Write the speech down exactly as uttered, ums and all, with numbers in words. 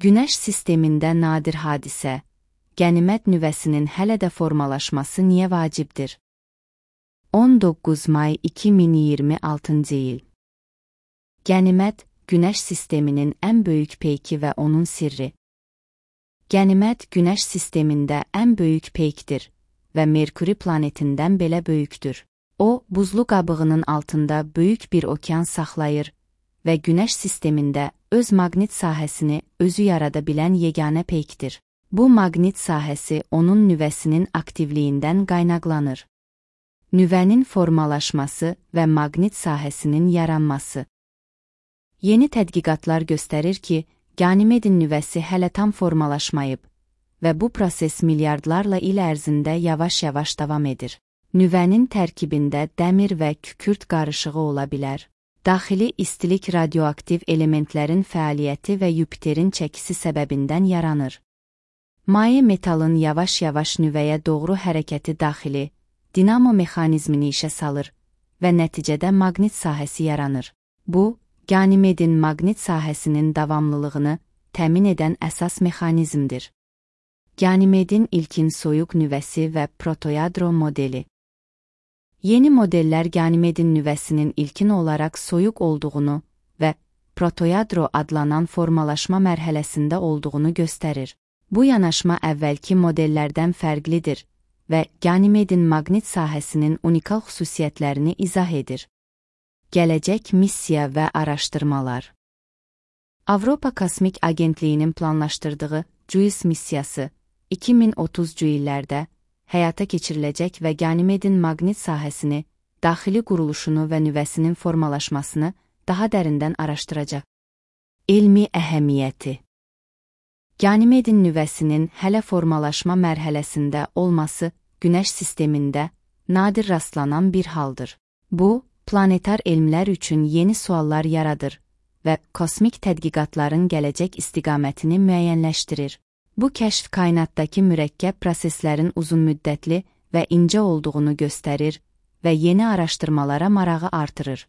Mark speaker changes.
Speaker 1: Günəş sistemində nadir hadisə, Qənimət nüvəsinin hələ də formalaşması niyə vacibdir? on doqquz may iki min iyirmi altıncı il. Qənimət, Günəş sisteminin ən böyük peyki və onun sirri. Qənimət Günəş sistemində ən böyük peykdir və Merkuri planetindən belə böyükdür. O, buzlu qabığının altında böyük bir okean saxlayır və Günəş sistemində öz maqnit sahəsini özü yarada bilən yeganə peykdir. Bu maqnit sahəsi onun nüvəsinin aktivliyindən qaynaqlanır. Nüvənin formalaşması və maqnit sahəsinin yaranması. Yeni tədqiqatlar göstərir ki, Qanimedin nüvəsi hələ tam formalaşmayıb və bu proses milyardlarla il ərzində yavaş-yavaş davam edir. Nüvənin tərkibində dəmir və kükürt qarışığı ola bilər. Daxili istilik radioaktiv elementlərin fəaliyyəti və Yupiterin çəkisi səbəbindən yaranır. Maye metalın yavaş-yavaş nüvəyə doğru hərəkəti daxili, dinamo mexanizmini işə salır və nəticədə maqnit sahəsi yaranır. Bu, Qanimedin maqnit sahəsinin davamlılığını təmin edən əsas mexanizmdir. Qanimedin ilkin soyuq nüvəsi və protoyadro modeli. Yeni modellər Qanimedin nüvəsinin ilkin olaraq soyuq olduğunu və protoyadro adlanan formalaşma mərhələsində olduğunu göstərir. Bu yanaşma əvvəlki modellərdən fərqlidir və Qanimedin maqnit sahəsinin unikal xüsusiyyətlərini izah edir. Gələcək missiya və araşdırmalar. Avropa Kosmik Agentliyinin planlaşdırdığı JUICE missiyası iki min otuzuncu illərdə həyata keçiriləcək və Qanimedin maqnit sahəsini, daxili quruluşunu və nüvəsinin formalaşmasını daha dərindən araşdıracaq. Elmi əhəmiyyəti. Qanimedin nüvəsinin hələ formalaşma mərhələsində olması Günəş sistemində nadir rastlanan bir haldır. Bu, planetar elmlər üçün yeni suallar yaradır və kosmik tədqiqatların gələcək istiqamətini müəyyənləşdirir. Bu kəşf kainatdakı mürəkkəb proseslərin uzunmüddətli və incə olduğunu göstərir və yeni araşdırmalara marağı artırır.